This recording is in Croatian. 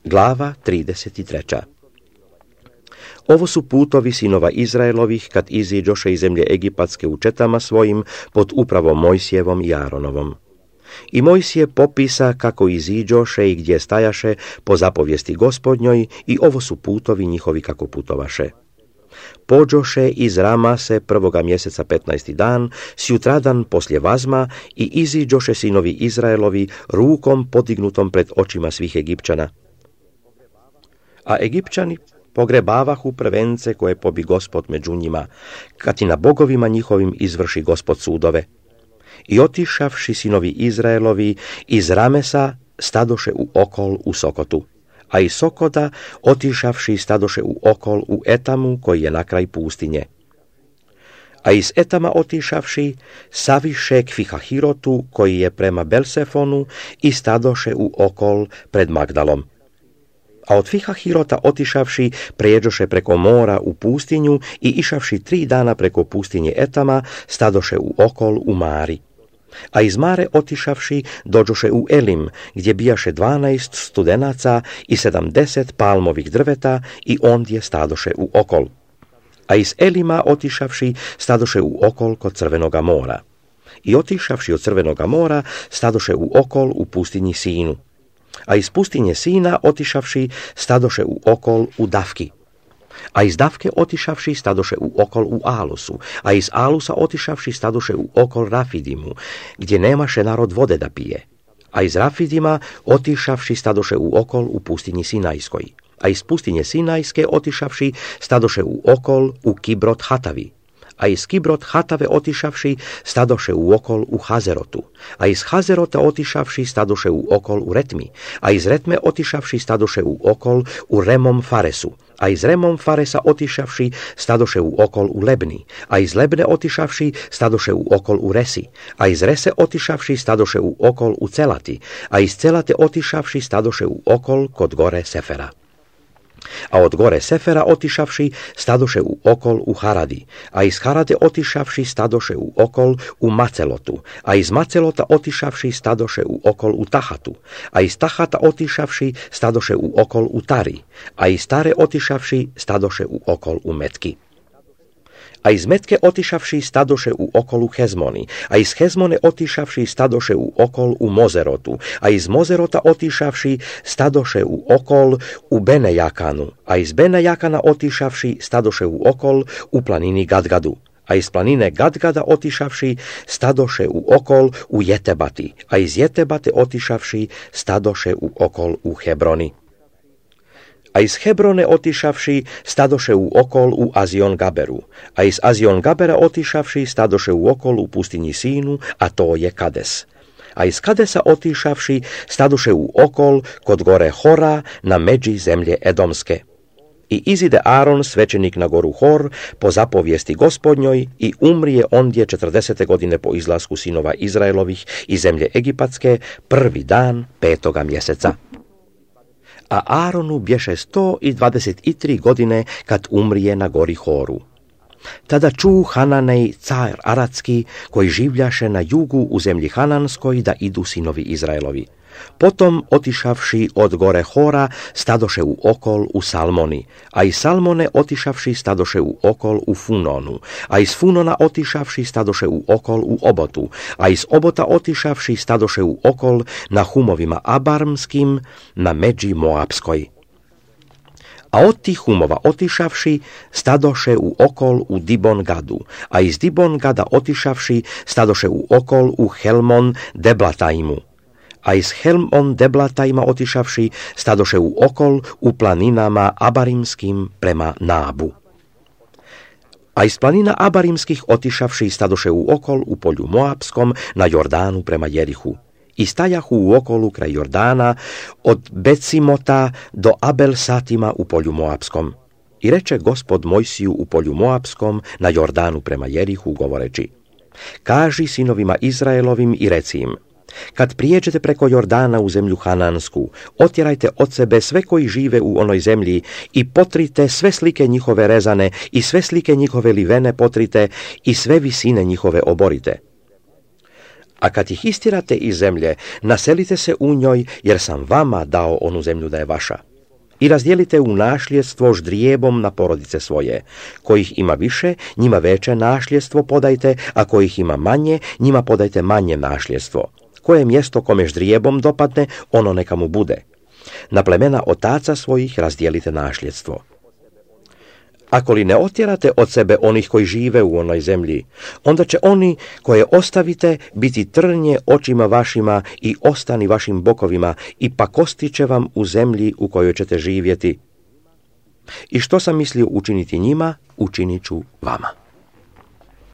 Glava 33. Ovo su putovi sinova Izraelovih kad iziđoše iz zemlje Egipatske u četama svojim pod upravom Mojsijevom i Aronovom. I Mojsije popisa kako iziđoše i gdje stajaše po zapovijesti Gospodnjoj i ovo su putovi njihovi kako putovaše. Pođoše iz Ramase 1. mjeseca 15. dan, sjutradan poslje vazma i iziđoše sinovi Izraelovi rukom podignutom pred očima svih Egipćana. A Egipćani pogrebavahu prvence koje pobi Gospod među njima, kad i na bogovima njihovim izvrši Gospod sudove. I otišavši sinovi Izraelovi iz Ramesa stadoše u okol u Sokotu, a iz Sokota otišavši stadoše u okol u Etamu koji je na kraj pustinje. A iz Etama otišavši saviše k Fihahirotu koji je prema Belsefonu i stadoše u okol pred Magdalom. A od Fihahirota otišavši prijeđoše preko mora u pustinju i išavši 3 dana preko pustinje Etama stadoše u okol u Mari. A iz Mare otišavši dođoše u Elim, gdje bijaše 12 studenaca i 70 palmovih drveta i ondje stadoše u okol. A iz Elima otišavši stadoše u okol kod Crvenoga mora. I otišavši od Crvenoga mora stadoše u okol u pustinji Sinu. A iz pustinje Sina otišavši stadoše u okol u Davki. A iz Davke otišavši stadoše u okol u Alusu, a iz Alusa otišavši stadoše u okol Rafidimu, gdje nemaše narod vode da pije. A iz Rafidima otišavši stadoše u okol u pustinji Sinajskoj. A iz pustinje Sinajske otišavši stadoše u okol u Kibrot Hatavi. A iz Kibrot Hatave otišavši stadoše u okol u Hazerotu, a iz Hazerota otišavši stadoše u okol u Retmi, a iz Retme otišavši stadoše u okol u Remom Faresu, a iz Remom Faresa otišavši stadoše u okol u Lebni, a iz Lebne otišavši stadoše u okol u Resi, a iz Rese otišavši stadoše u okol u Celati, a iz Celate otišavši stadoše u okol kod gore Sefera. A od gore Sefera otišavši stadoše u okol u Haradi, a iz Harade otišavši stadoše u okol u Macelotu, a iz Macelota otišavši stadoše u okol u Tahatu, a iz Tahata otišavši stadoše u okol u Tari, a iz Tare otišavši stadoše u okol u Metki. A iz Metke otišavši stadoše u okol u Hezmoni, a iz Hezmone otišavši stadoše u okol u Mozerotu, a iz Mozerota otišavši stadoše u okol u Benejakanu, a iz Benejakana otišavši stadoše u okol u planini Gadgadu, a iz planine Gadgada otišavši stadoše u okol u Jetebati, a iz Jetebate otišavši stadoše u okol u Hebroni. A iz Hebrone otišavši stadoše u okol u Azion Gaberu, a iz Azion Gabera otišavši stadoše u okol u pustinji Sinu, a to je Kades. A iz Kadesa otišavši stadoše u okol kod gore Hora na međi zemlje Edomske. I izide Aaron, svećenik na goru Hor, po zapovijesti Gospodnjoj i umrije ondje 40. godine po izlasku sinova Izraelovih iz zemlje Egipatske, 1. dan 5. mjeseca. A Aaronu bješe 123 godine kad umrije na gori Horu. Tada ču Hananej, car Aratski, koji življaše na jugu u zemlji Hananskoj, da idu sinovi Izraelovi. Potom, otišavši od gore Hora, stadoše u okol u Salmoni, a iz Salmone otišavši stadoše u okol u Funonu, a iz Funona otišavši stadoše u okol u Obotu, a iz Obota otišavši stadoše u okol na humovima Abarmskim, na međi Moabskoj. A od tih humova otišavši stadoše u okol u Dibon Gadu, a iz Dibon Gada otišavši stadoše u okol u Helmon Deblatajmu, a iz Helmon Deblatajma otišavši stadoše u okol u planinama Abarimskim prema Nabu. A iz planina Abarimskih otišavši stadoše u okol u polju Moabskom na Jordanu prema Jerihu. I stajahu u okolu kraj Jordana od Becimota do Abel Satima u polju Moabskom. I reče Gospod Mojsiju u polju Moabskom na Jordanu prema Jerihu govoreći: kaži sinovima Izraelovim i reci im: kad prijeđete preko Jordana u zemlju Hanansku, otjerajte od sebe sve koji žive u onoj zemlji i potrite sve slike njihove rezane i sve slike njihove livene potrite i sve visine njihove oborite. A kad ih istirate iz zemlje, naselite se u njoj, jer sam vama dao onu zemlju da je vaša. I razdijelite u našljedstvo ždrijebom na porodice svoje. Kojih ima više, njima veće našljedstvo podajte, a kojih ima manje, njima podajte manje našljedstvo. Koje mjesto kome ždrijebom dopadne, ono neka mu bude. Na plemena otaca svojih razdijelite našljedstvo. Ako li ne otjerate od sebe onih koji žive u onoj zemlji, onda će oni koje ostavite biti trnje očima vašima i ostani vašim bokovima i pakosti će vam u zemlji u kojoj ćete živjeti. I što sam mislio učiniti njima, učinit ću vama.